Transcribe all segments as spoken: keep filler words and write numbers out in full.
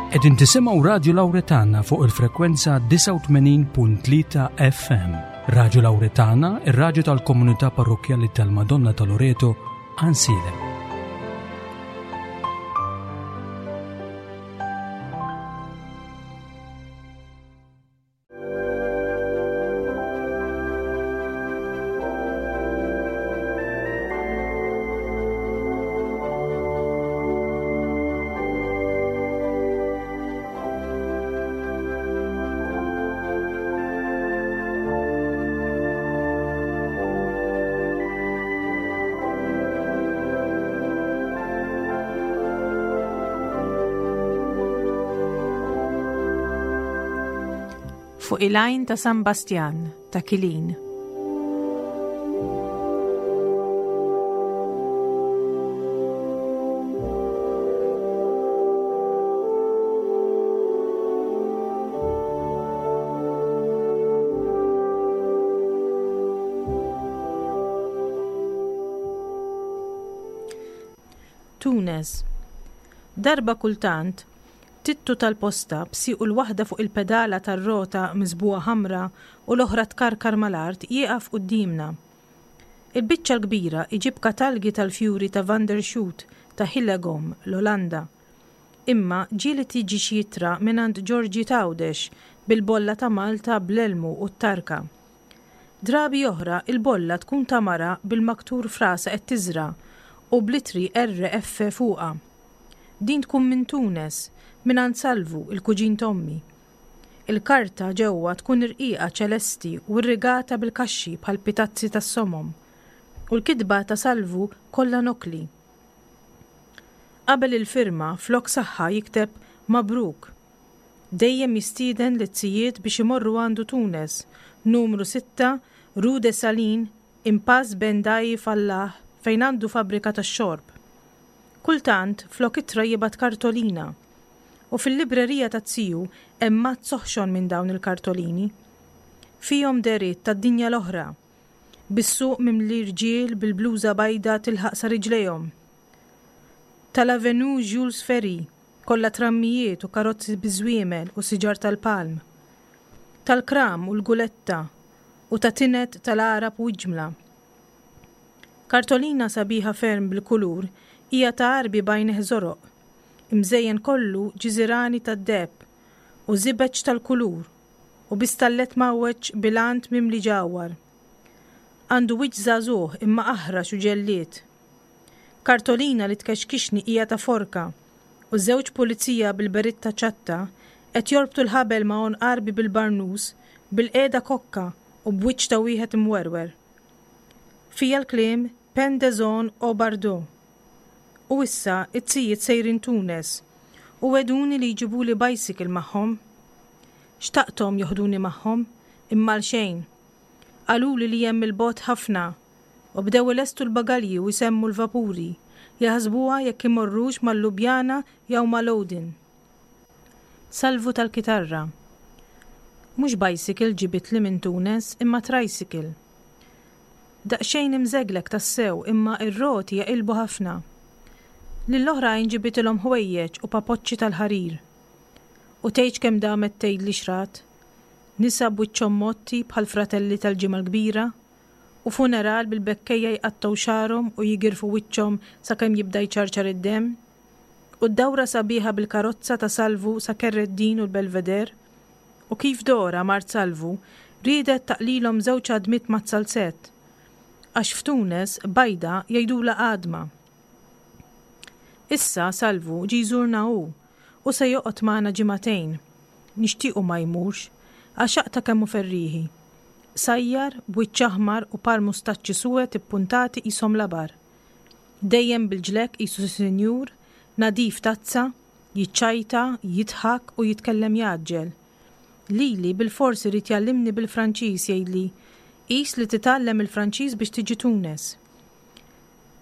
Qegħdin tisimgħu Radju Lawretana fuq il-frekwenza disgħa u tmenin punt tlieta F M. Radju Lawretana, ir-radju tal-komunità parrokkjali tal-Madonna ta' Loreto, Għajnsielem. Fuq il-għajn ta' San Bastjan, ta' Kilin. Tunes. Darba kultant, Tittu tal-posta b'siequ l-waħda fuq il-pedala tar-rota miżbugħa ħamra u l-oħra tkarkar mal-art jieqaf quddiemna. Il-biċċa l-kbira iġib katalgi tal-fjuri ta' Van der Schoot ta' Hillegom, l-Olanda. Imma ġieli tiġi xi ittra mingħand Ġorġi Tawdex bil-bolla ta' Malta bl-elmu u t-tarka. Drabi oħra il-bolla tkun ta' mara bil-maktur frasa qed tiżra u blitri R F fuqha. Din tkun minn Tunes, mingħand Salvu, il-kuġin t'ommi. Il-karta ġewwa tkun irqiqa ċelesti u rrigata bil-kaxxi bħal pitazzi tas-somom. U l-kitba ta' Salvu kollha nokli. Qabel il-firma flok saħħa jikteb Mabruk. Dejjem jistieden l-izzijiet biex imorru għandu Tunes, numru sitta, Rue de Salin, Impasse Ben Dai Fallah, fejn għandu fabbrika tax-xorb. Kultant flok ittra jibgħat kartolina. U fil-librerija ta' ziju hemm mazz soħxon minn dawn il-kartolini. Fihom deriet tad-dinja l-oħra, bis-suq mimli rġiel bil-bluża bajda tilħaq sa riġlejhom. Tal-Avenue Jules Ferry, kollha trammijiet u karozzi biżwiemel u siġar tal-palm. Tal-kram u l-guletta u ta' tinet tal-Arab u ġmla. Kartolina sabiħa ferm bil-kulur hija ta' Għarbi bajneh żoroq, imżejjen kollu ġiżirani tad-deheb u żibeġ tal-kulur u bistallet mawweġ bilant mimli ġawhar. Għandu wiċċ żagħżugħ imma aħrax u ġellied. Kartolina li tkexkixni hija ta' forka u żewġ pulizija bil-beritta ċatta qed jorbtu l-ħabel ma' għonq Għarbi bil-barnus, bil-qiegħda kokka u b'wiċċ ta' wieħed imwerwer. Fija l-kliem Pendezon o Bardo. U issa it-tijiet sejrin Tunes u weduni li jġibuli bicycle magħhom. Xtaqthom joħduni magħhom, imma l xejn. Qaluli li hemm il-bot ħafna u bdew ilestu l-bagalji u jsemmu l-vapuri, jaħsbuha jekk imorrux mal-Lubjana jew mal-Odin. Salvu tal-kitarra. Mhux bicycle ġibitli minn Tunes imma tricycle. Daqsxejn imżeglek tassew imma ir-roti jaqilbu ħafna. Lill-oħrajn ġibitilhom ħwejjeġ u papoċċi tal-ħarir. U tgħidx kemm damet tgħidli xrat. Nisa b'wiċċhom motti bħal fratelli tal-ġimgħa l-kbira u funeral bil-bekkejja jqattgħu xagħarhom u jigirfu wiċċhom sakemm jibda jċarċar id-demm. U d-dawra sabiħa bil-karozza ta' Salvu sa Kerreddin u l-Belveder. U kif Dora mart Salvu riedet taqlilhom żewġ għadmiet mat-salzett. Għax f'Tunes bajda jgħidulha għadma. Issa Salvu ġi jżurna hu u se joqgħod magħna ġimagħtejn. Nixtiequ ma jmurx, għax aqta' kemm hu ferrieħi. Sajjar, b'wiċċ aħmar u par mustaċċi suwed ippuntati qishom labar. Dejjem bil-ġlek qisu sinjur, nadif tazza, jiċċajta, jidħak u jitkellem jaġġel. Lili bil-forsi irid jgħallimni bil-Franċiż jgħidli, qis li titgħallem il-Franċiż biex tiġi Tunes.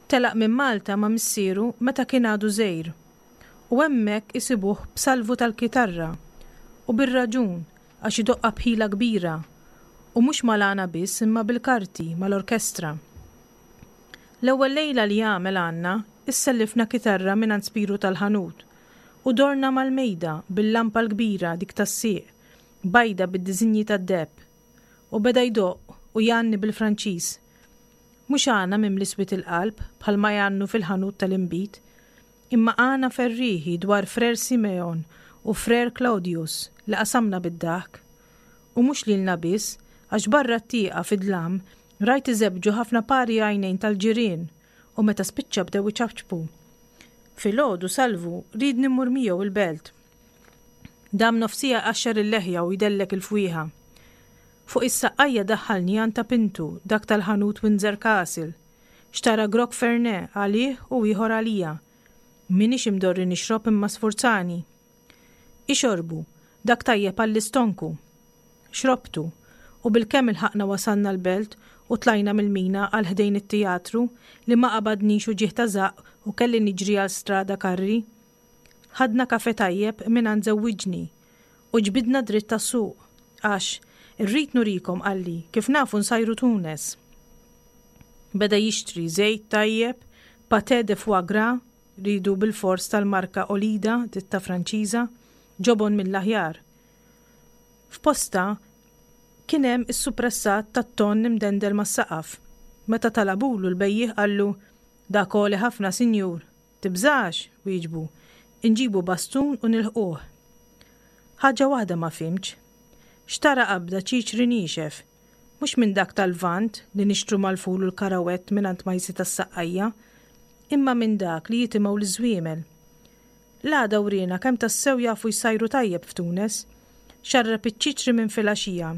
Telaq minn Malta ma' missieru meta kien għadu żgħir. U hemmhekk isibuh b'salvu tal-kitarra u bir-raġun għax idoqqa bħila kbira u mhux mal-għana biss imma bil-karti mal-orkestra. L-ewwel lejla li għamel għandna issellifna kitarra mingħand Spiru tal-ħanut U dorna mal-mejda bil-lampa l-kbira dik tas-sieq, bajda bid-diżinji tad-deheb. U beda jdoqq u jgħanni bil-Franċiż. Mhux għana mimli swied il-qalb bħalma jgħannu fil-ħanut tal-inbid, imma għana ferrieħi dwar Frer Simeon u Frer Claudius li qasamna bid-daħk. U mhux lilna biss, għax barra t-tieqa fid-dlam rajt iżebbġu ħafna pari għajnejn tal-ġirien u meta spiċċa bdew iċapċpu. Filgħodu Salvu riedni mmur miegħu il-belt. Dam nofs siegħa jqaxxar il-leħja u jdellek il-fwieħa. Fuq is-saqqajja daħħalni għand ta' Pintu, dak tal-ħanut Windsor Castle. Xtara grokk Fernet għalih u ieħor għalija. M'iniex imdorri nixrob imma sfurzani. Ixorbu, dak tajjeb għall-istonku. Xrobtu, u bilkemm ilħaqna wasalna l-belt u tlajna mill-mina għal ħdejn it-teatru li ma qabadnix uġigħ ta' żaqq u kelli niġri għal Strada Carri. Ħadna kafe tajjeb mingħand żewwiġni u ġbidna dritt tas-suq għax irrid nurikom qalli kif nafu nsajru Tunes. Beda jixtri żejt tajjeb, pâté de foie gras, ridu bil-fors tal-marka Olida, ditta Franċiża, ġobon mill-aħjar. F'posta kien hemm is-suppressat tat-tonn imdendel mas-saqaf. Meta talabulu l-bejjiegħ qallu dak għoli ħafna sinjur. Tibżax, wieġbu, inġibu bastun u nilħquh. Ħaġa waħda ma fhimtx. Xtara qabda ċiċri niexef, mhux minn dak tal-Lvant li nixtru mal-ful u l-karawett mingħand Majsi tas-Saqqajja, imma minn dak li jitimgħu l-żwiemel. L-għada wriena kemm tassew jafu jsajru tajjeb f'Tunes. Xarrab iċ-ċiċri minn filgħaxija.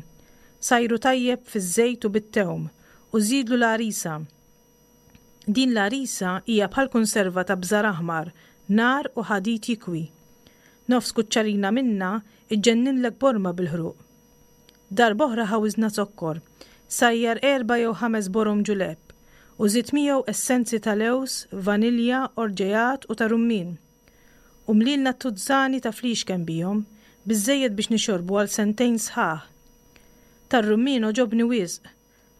Sajru tajjeb fiż-żejt u bit-tewm u żidlu l-għarisa. Din l-għarisa hija bħal konserva ta' bżar aħmar, nar u ħadid jikwi. Nofs kuċċarina minna iġġenninlek borma bil-ħruq. Darb'oħra ħawiżna zokkor, sajjar erba' jew ħames borom ġulepp u żied miegħu essenzi ta' lewż, vanilja, orġejat u ta' rummin. U mlilna tuzzani ta' flixken bihom, biżżejjed biex nixorbu għal sentejn sħaħ. Tar-rummin għoġobni wisq,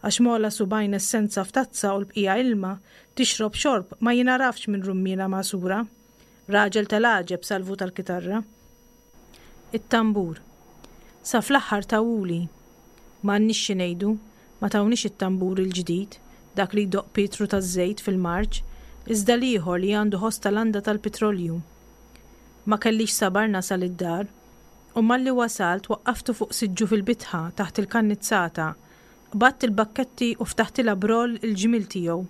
għax mola subgħajn essenza f'tazza u l-bqija ilma tixrob xorb ma jinarafx minn rummina magħsura. Raġel tal-għaġeb Salvu tal-kitarra. It-tambur. Sa fl-aħħar tawuli. M'għandniex xi ngħidu, ma tawniex it-tambur il-ġdid, dak li jdoqq Pietru taż-żejt fil-marċ, iżda l-ieħor li għandu ħoss tal-landa tal-petrolju. Ma kellix sabar nasal id-dar, u malli wasalt waqqaftu fuq siġġu fil-bitħa taħt il-kannizzata, qbadt il-bakketti u ftaħtilha broll il-ġmiel tiegħu.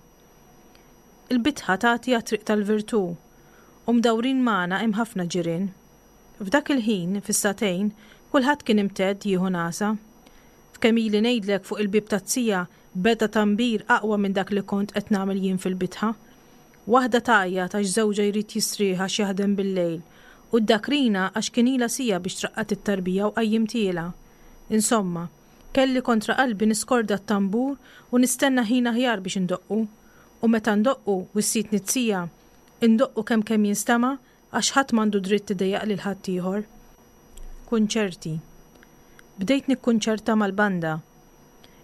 Il-bitħa tagħti għat-triq tal-Virtù, u mdawrin magħna hemm ħafna ġirien. F'dak il-ħin, fis-sagħtejn, kulħadd kien imtedd jieħu nasa. F'kemm ili ngħidlek fuq il-bieb taz-zija beda tambir aqwa minn dak li kont qed nagħmel jien fil-bitħa. Waħda tgħajjat għax żewġha jrid jistrieħ għax jaħdem bil-lejl, u d-dakrina għax kien ilha siegħa biex traqqat it-tarbija u qajjimtielha. Insomma, kelli kontra qalbi niskorda t-tambur u nistenna ħin aħjar biex indoqqu. U meta ndoqqu, wissietni z-zija, indoqqu kemm kemm jinstema' għax ħadd m'għandu dritt idejjaq lil ħaddieħor. Kunċerti. Bdejt nikkunċerta mal-banda.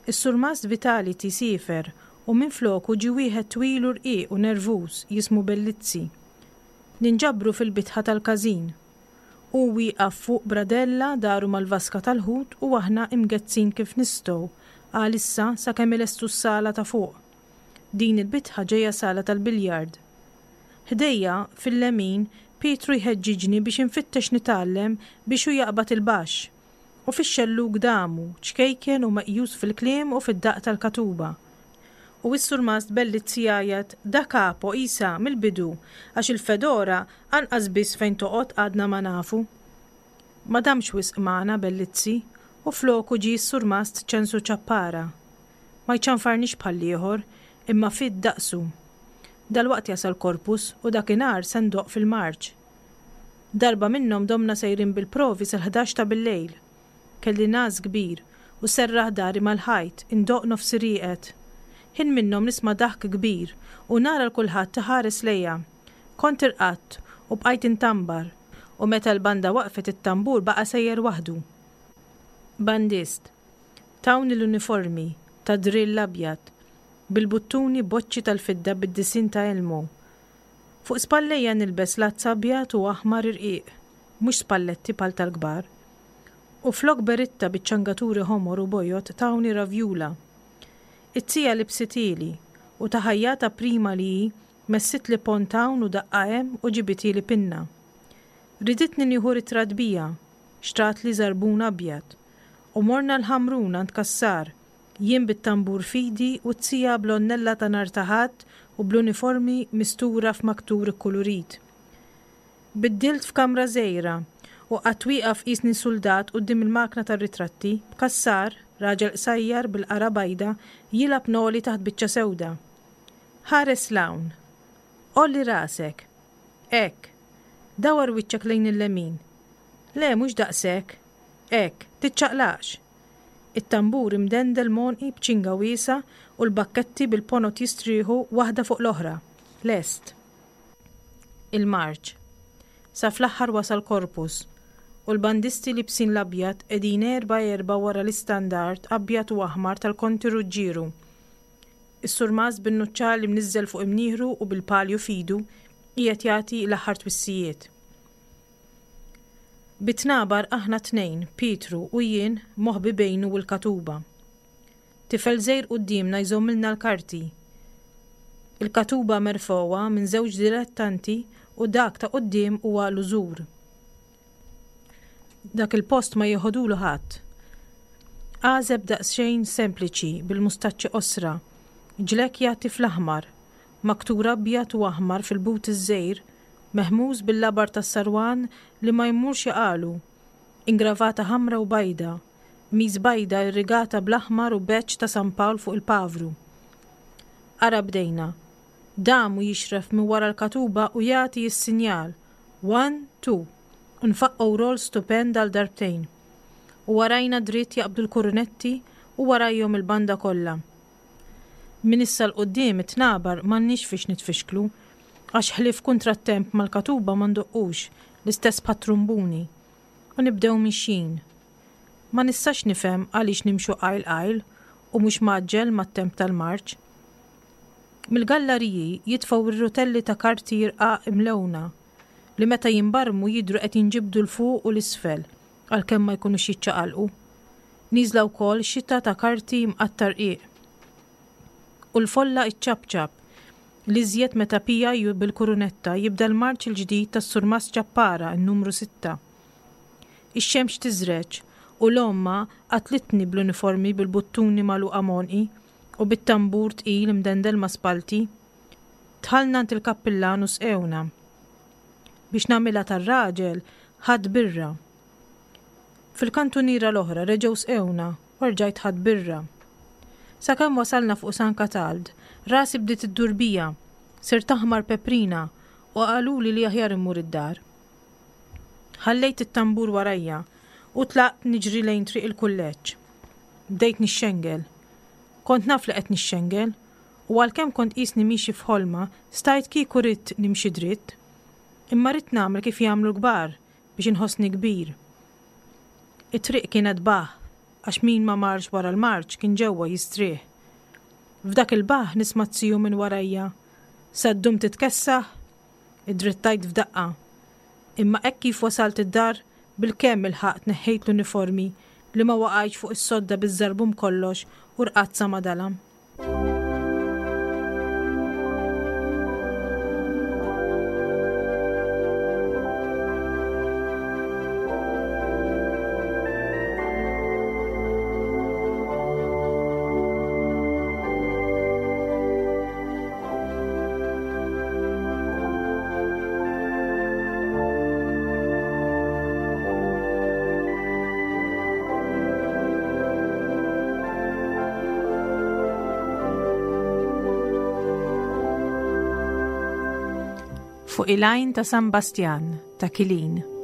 Is-surmast Vitality siefer u minn floku ġie wieħed twil u rqiq u nervuż jismu Bellizzi. Ninġabru fil-bitħa tal-każin. Hu wieqaf fuq bradella daru mal-vaska tal-ħut u aħna imgezzin kif nistgħu għalissa sakemm ilestu s-sala ta' fuq. Din il-bitħa ġejja sala tal-biljard. Ħdejja fil-lemin Pietru jħeġġiġni biex infittex nitgħallem biex hu jaqbad il-baxx. U fix-xellug damu, ċkejken u meqjus fil-kliem u fid-daqq tal-katuba. U s-surmast Bellizzi jgħajjat da capo isa mill-bidu għax il-fedora anqas biss fejn toqgħod għadna ma nafu. Ma damx wisq magħna Bellizzi u floku ġie s-surmast Ċensu Ċappara. Ma jċanfarnix bħall-ieħor imma fid daqsu. Dalwaqt jasal Corpus u dakinhar se ndoqq fil-marċ. Darba minnhom domna sejrin bil-provi sal-ħdax ta' bil-lejl. Kelli ngħas kbir u serraħ dari mal-ħajt indoqq nofsi rieqed. Ħin minnhom nisma' daħk kbir u nara l kulħadd iħares lejja. Kont irqadt u bqajt intambar u meta l-banda waqfet it-tambur baqa' sejjer waħdu. Bandist. Tawni l-uniformi ta' drill abjad bil-buttuni boċċi tal-fidda bid-disinn ta' Elmo. Fuq spallejja nilbes lazz abjad u aħmar irqiq, mhux spalletti bħal tal-kbar. U flok beritta biċ-ċangaturi ħomor u bojod tawni ravjula. It-tija libsitili u ta' ħajjata prima li hi messitli pont hawn u daqqa hemm u ġibitili pinna. Riditni nieħu ritratt bija, xtratli żarbun abjad. U morna l-Ħamrun għand Cassar, jien bit-tambur f'idi u t-tija bl-għonnella ta' nhar ta' Ħadd u bl-uniformi mistura f'maktur ikkulurit. Biddilt f'kamra żgħira u qgħadt wieqaf qisni suldat quddiem il-makna tar-ritratti, b'Cassar, raġel qsajjar bil-qara bajda, jilgħab noli taħt biċċa sewda. Ħares 'l hawn. Għolli rasek. Hekk. Dawwar wiċċek lejn il-lemin. Le, mhux daqshekk. Hekk, tiċċaqlaqx. It-tambur imdendel m'għonqi b'ċinga wiesgħa u l-bakketti bil-ponot jistrieħu waħda fuq l-oħra. Lest. Il-marċ. Sa fl-aħħar wasal Corpus u l-bandisti libsin l-abjad qegħdin erba' erba' wara l-istandard abjad u aħmar tal-Konti Ruġġieru. Is-surmast bin-nuċċali mniżżel fuq imnieħru u bil-palju f'idu qiegħed jagħti l-aħħar twissijiet. Bit-tnabar aħna tnejn, Pietru u jien, moħbi bejnu u l-katuba. Tifel żgħir quddiemna jżommilna l-karti. Il-katuba merfgħuha minn żewġ dilettanti u dak ta' quddiem huwa l-użur. Dak il-post ma jeħodulu ħadd. Għażeb daqsxejn sempliċi bil-mustaċċi qosra, ġlekk jagħti fl-aħmar, maktur abjad u aħmar fil-but iż-żgħir, mehmuż bil-labar tas-sarwan li ma jmurx jaqalu, ingravata ħamra u bajda, qmis bajda irrigata bl-aħmar u badge ta' San Pawl fuq il-pavru. Ara bdejna. Dam u jixref minn wara l-katuba u jagħti s-sinjal. One, two. U nfaqqgħu roll stupend għal darbtejn. U warajna dritt jaqbdu l-kurunetti u warajhom il-banda kollha. Minn issa 'l quddiem it-tnabar m'għandniex fiex nitfixklu, għax ħlief kuntrattemp mal-katuba ma ndoqqux, l-istess bħat-trumbuni. U nibdew mixjin. Ma nistax nifhem għaliex nimxu qajl qajl u mhux mgħaġġel mat-temp tal-marċ. Mill-gallariji jitfgħu r-rutelli ta' karti rqaq imlewna li meta jinbarmu jidhru qed jinġibdu 'l fuq u 'l isfel għalkemm ma jkunux jiċċaqalqu. Nieżla wkoll xita ta' karti mqatta' rqiq. U l-folla iċċapċap, l-iżjed meta P I U bil-kurunetta jibda l-marċ il-ġdid tas-Surmast Ċappara n-numru sitta. Ix-xemx tiżreġ u l-omma qatlitni bl-uniformi bil-buttuni magħluqa m'għonqi u bit-tambur tqil imdendel ma' spalti. Dħalna għand il-kappillan u sqewna. Biex nagħmilha tar-raġel, ħadd birra. Fil-kantuniera l-oħra reġgħu sqewna u rġajt ħadd birra. Sakemm wasalna fuq San Katald, rasi bdiet iddur bija, sirt aħmar peprina u qaluli li aħjar immur id-dar. Ħallejt it-tambur warajja u tlaqt niġri lejn triq il-kulleġġ. Bdejt nixxengel. Kont naf li qed nixxengel u għalkemm kont qisni miexi f'ħolma, stajt kieku ridt nimxi dritt. Imma ridt nagħmel kif jagħmlu l-kbar biex inħossni kbir. It-triq kienet baħ, għax min ma marx wara l-marċ kien ġewwa jistrieħ. F'dak il-baħ nisma' t-tiju minn warajja. Sa ddum titkessaħ? Idrittajt f'daqqa. Imma hekk kif wasalt id-dar, bilkemm ilħaqt neħħejt l-uniformi li ma waqajtx fuq is-sodda biż-żarbum kollox u rqadt sa ma dalam. Fuq il-għajn ta' San Bastjan ta' Kilin.